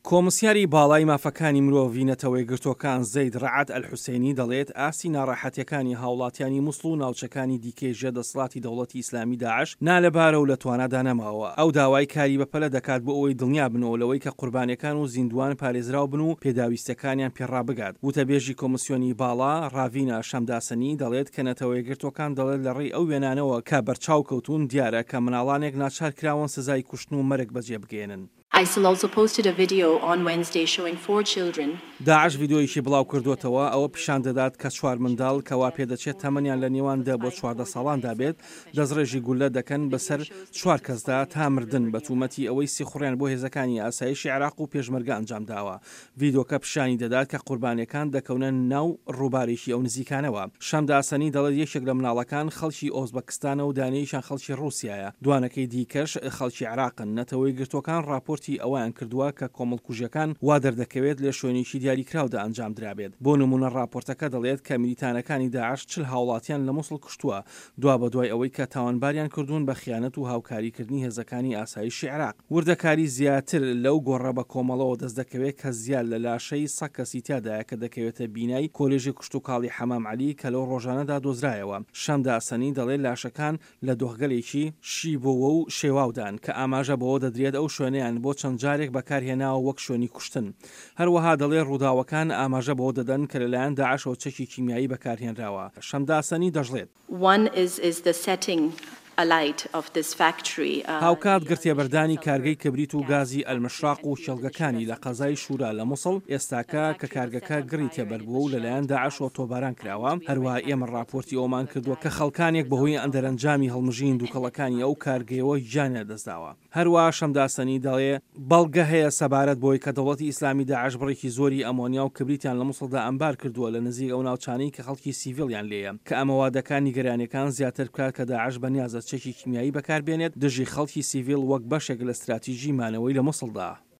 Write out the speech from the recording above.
کۆمسیاری باڵای مافەکانی مرۆڤی نەتەوەیەکگرتووەکان زەید ڕەعد ئەلحوسەینی دەڵێت ئاستی ناڕەحەتیەکانی هاوڵاتیانی موسڵ و ناوچەکانی دیکەی ژێر دەسەڵاتی دەوڵەتی ئیسلامی داعش نالەبارە و لە توانادا نەماوە. ئەو داوای کاری بەپەلە دەکات بۆ ئەوەی دڵنیا بنەوە لەوەی کە قوربانیەکان و زیندووان پارێزراو بن و پێداویستیەکانیان پێ ڕابگات. وتەبێژی کۆمسیۆنی باڵا، ڕاڤینا شەمداسەنی دەڵێت کە نەتەوەیەکگرتووەکان دەڵێت لە ڕێی ئەو وێنانەوە کە بەرچاو کەوتوون دیارە کە مناڵانێک ناچار کراون سزای کوشتن و مەرگ بەجێ بگەیەنن. ISIL also posted a video on Wednesday showing four children. داعش ڤیدیۆیەکی بڵاوکردووەتەوە ئەوە پیشان دەدات کە چوار منداڵ کە واپێدەچێت تەمەنیان لە نێوان دە بۆ 14 ساڵاندا بێت دەستڕێژی گوللە دەکەن بەسەر چوار کەسدا تا مردن بە تومەتی ئەوەی سیخوڕیان بۆ هێزەکانی ئاسایشی عێراق و پێشمەرگە ئەنجامداوە. ڤیدۆکە پیشانی دەدات کە قوربانیەکان دەکەونە ناو ڕووبارێکی ئەو نزیکانەوە. شەمداسەنی دەڵێت یەکێک لە مناڵەکان خەڵکی ئۆزبەکستانە و دانەیەکیان خەڵکی ڕووسیایە، دوانەکەی دیکەش خەڵکی عێراقن. نەتەوەیەکگرتووەکان ڕاپۆرتی ئەوەیان کردووە کە کۆمەڵکوژیەکان وا دەردەکەوێت لە شوێنێکی دیاریکراودا ئەنجامدرابێت. بۆ نموونە ڕاپۆرتەکە دەڵێت کە میلیتانەکانی داعش 40 هاوڵاتیان لە موسڵ کوشتووە دوابەدوای ئەوەی کە تاوانباریان کردوون بە خیانەت و هاوکاریکردنی هێزەکانی ئاسایشی عێراق. وردەکاری زیاتر لەو گۆڕە بە کۆمەڵەوە دەست دەکەوێت کە زیاد لە لاشەی سە کەسی تیادایە کە دەکەوێتە بینای کۆلێژی کشتوکاڵی حەمام عەلی کە لەو ڕۆژانەدا دۆزرایەوە. شەمداسەنی دەڵێت لاشەکان لە دۆخگەلێکی شیبۆوە و شێواودان کە ئاماژە بەوە دەدرێت ئەو شوێنەیان بۆ چەند جارێک بەکارهێناوە وەک شوێنی کوشتن. هەروەها دەڵێ ڕووداوەکان ئاماژە بەوە دەدەن کە لەلایەن داعشەوە چەکی کیمیایی بەکارهێنراوە. شەمداسەنی دەشڵێت. One is is the setting alight of this factory. هاوکات گڕتێبەردانی کارگەی کبریت و گازی ئەلمشراق و کێڵگەکانی لە قەزای شورا لە موسڵ، ئێستاکە کە کارگەکە گڕی تێبەربووە و لەلایەن داعشەوە تۆپباران کراوە، هەروەها ئێمە ڕاپۆرتی ئەوەمان کردووە کە خەڵکانێک بەهۆی دەرەنجامی هەڵمژینی دوکەڵەکانی ئەو کارگەیەوە گیانیان لەدەستداوە. هەروەها شەمداسەنی دەڵێ، بەڵگە هەیە سەبارەت بەوەی کە دەوڵەتی ئیسلامی داعش بڕێکی زۆری ئەمۆنیا و کبریتیان لە موسڵدا ئەمبار کردووە لە نزیک ئەو ناوچانەی کە خەڵکی سیڤیڵیان لێیە، کە ئەمە وا دەکات نیگەرانیەکان زیاتر بکات کە داعش بەنیازە چەکی کیمیایی بەکاربێنێت دژی خەڵکی سیڤیڵ وەک بەشێک لە ستراتیژی مانەوەی لە موسڵدا.